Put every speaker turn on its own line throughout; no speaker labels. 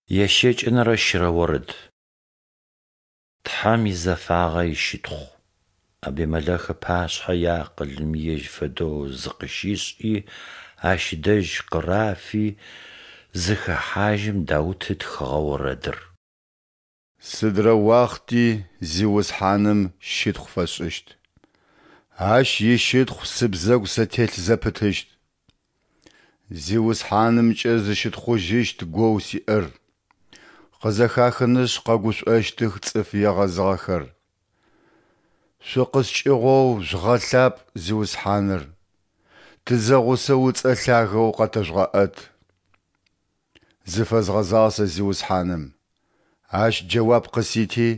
Ящэкӏэнэрэ щырэ орэд. Тхьэм изэфагъэ ищытхъу. Абимэлэх ыпашъхьэ иакъылым ежь фэдэу зыкъыщишӏи, ащ дэжь къырафи зыхэхьажьым Даут ытхыгъэ орэдыр.
Сыдрэ уахъти Зиусхьаным щытхъу фэсшӏыщт, Ащ ищытхъу сыбзэгу сэ телъ зэпытыщт. Зиусхьанымкӏэ зыщытхъужьыщт гоу сиӏэр, къызэхахынышъ къэгушӏощтых цӏыф егъэзыгъэхэр. Шъукъыскӏыгъоу жъугъэлъапӏ Зиусхьаныр, тызэгъусэу ыцӏэ лъагэу къэтэжъугъэӏэт. Зыфэзгъэзагъ сэ Зиусхьаным, Ащ джэуап къысити,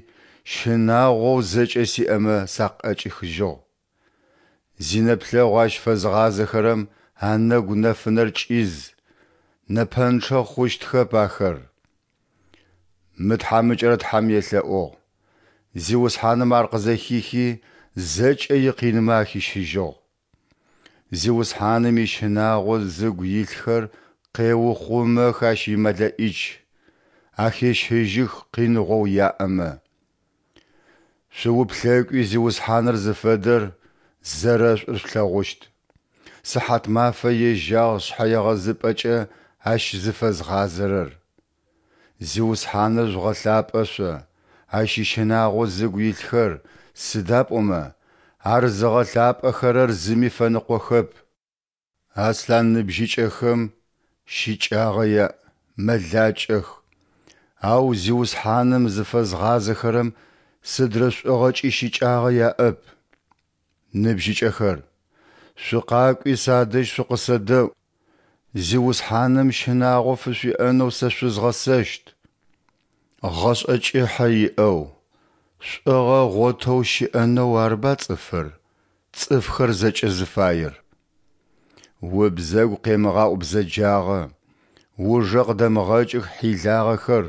щынагъоу зэкӏэ сиӏэмэ сакъыӏэкӏихыжьыгъ. Зинэплъэгъу Ащ фэзыгъазэхэрэм анэгу нэфынэр кӏиз, нэпэнчъэ хъущтхэп ахэр. Мы тхьамыкӏэр Тхьэм елъэӏугъ, Зиусхьаным ар къызэхихи, зэкӏэ икъинмэ ахищыжьыгъ. Зиусхьаным ищынагъо зыгу илъхэр къеухъумэх Ащ и МэлэӀич, ахещыжьых къиныгъоу яӏэмэ. Шъууплъэкӏуи Зиусхьаныр зыфэдэр, зэрэшӏур шъулъэгъущт. Сыхьатмафэ ежьагъ шъхьэегъэзыпӏэкӏэ Ащ зыфэзгъазэрэр. Зиусхьаныр жъугъэлъапӏэ шъо, Ащ ищынагъо зыгу илъхэр, сыда пӏомэ, Ар зыгъэлъапӏэхэрэр зыми фэныкъохэп. Аслъан ныбжьыкӏэхэм щыкӏагъэ яӏ, мэлакӏэх, ау Зиусхьаным зыфэзгъазэхэрэм сыдрэ шӏугъэкӏи щыкӏагъэ яӏэп. Ныбжьыкӏэхэр, шъукъакӏуи садэжь шъукъысэдэӏу, Зиусхьаным щынагъо фышъуиӏэнэу сэ шъузгъэсэщт. Гъэшӏэ кӏыхьэ иӏэу, шӏугъэ ыгъотэу щыӏэнэу арыба цӏыфыр, цӏыфхэр зэкӏэ зыфаер. Убзэгу къемыгъаӏу бзэджагъэ, ужэ къыдэмыгъэкӏых хьилагъэхэр.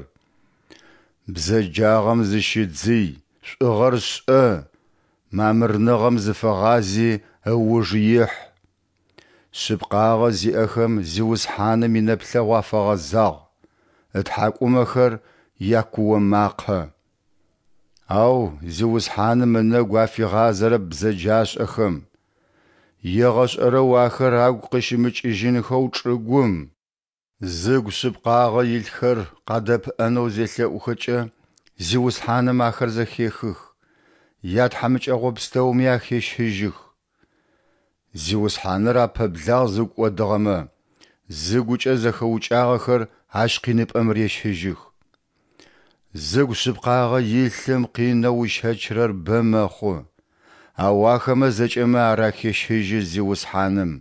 Бзэджагъэм зыщыдзый, шӏугъэр шӏэ, мамырныгъэм зыфэгъази ыуж ихь. Шъыпкъагъэ зиӏэхэм Зиусхьаным инэплъэгъу афэгъэзагъ, ытхьакӏумэхэр якуо макъэ. Ау Зиусхьаным ынэгу афигъазэрэп бзэджашӏэхэм. Егъэшӏэрэу ахэр агу къыщымыкӏыжьынхэу чӏыгум. Зыгу шъыпкъагъэ илъхэр къадэпыӏэнэу зелъэӏухэкӏэ, Зиусхьаным ахэр зэхехых, ятхьамыкӏэгъо пстэуми ахещыжьых. Зиусхьаныр апэблагъ зыгу кӏодыгъэмэ, зыгукӏэ зэхэукӏагъэхэр Ащ къиныпӏэм рещыжьых. Зыгу шъыпкъагъэ илъым къинэу ыщэчырэр бэ мэхъу, ау ахэмэ зэкӏэмэ ар ахещыжьы Зиусхьаным.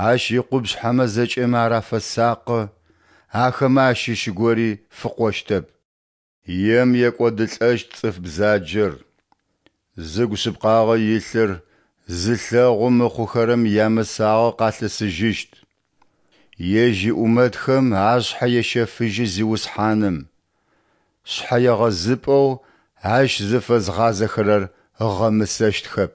Ащ икъупшъхьэмэ зэкӏэмэ ар афэсакъы, ахэмэ ащыщ гори фыкъощтэп. Ем екӏодылӏэщт цӏыф бзаджэр, зыгу шъыпкъагъэ илъыр зылъэгъу мыхъухэрэм ямысагъэ къалъысыжьыщт. Ежь иӏумэтхэм ашъхьэ ещэфыжьы Зиусхьаным, шъхьэегъэзыпӏэу Ащ зыфэзгъазэхэрэр ыгъэмысэщтхэп.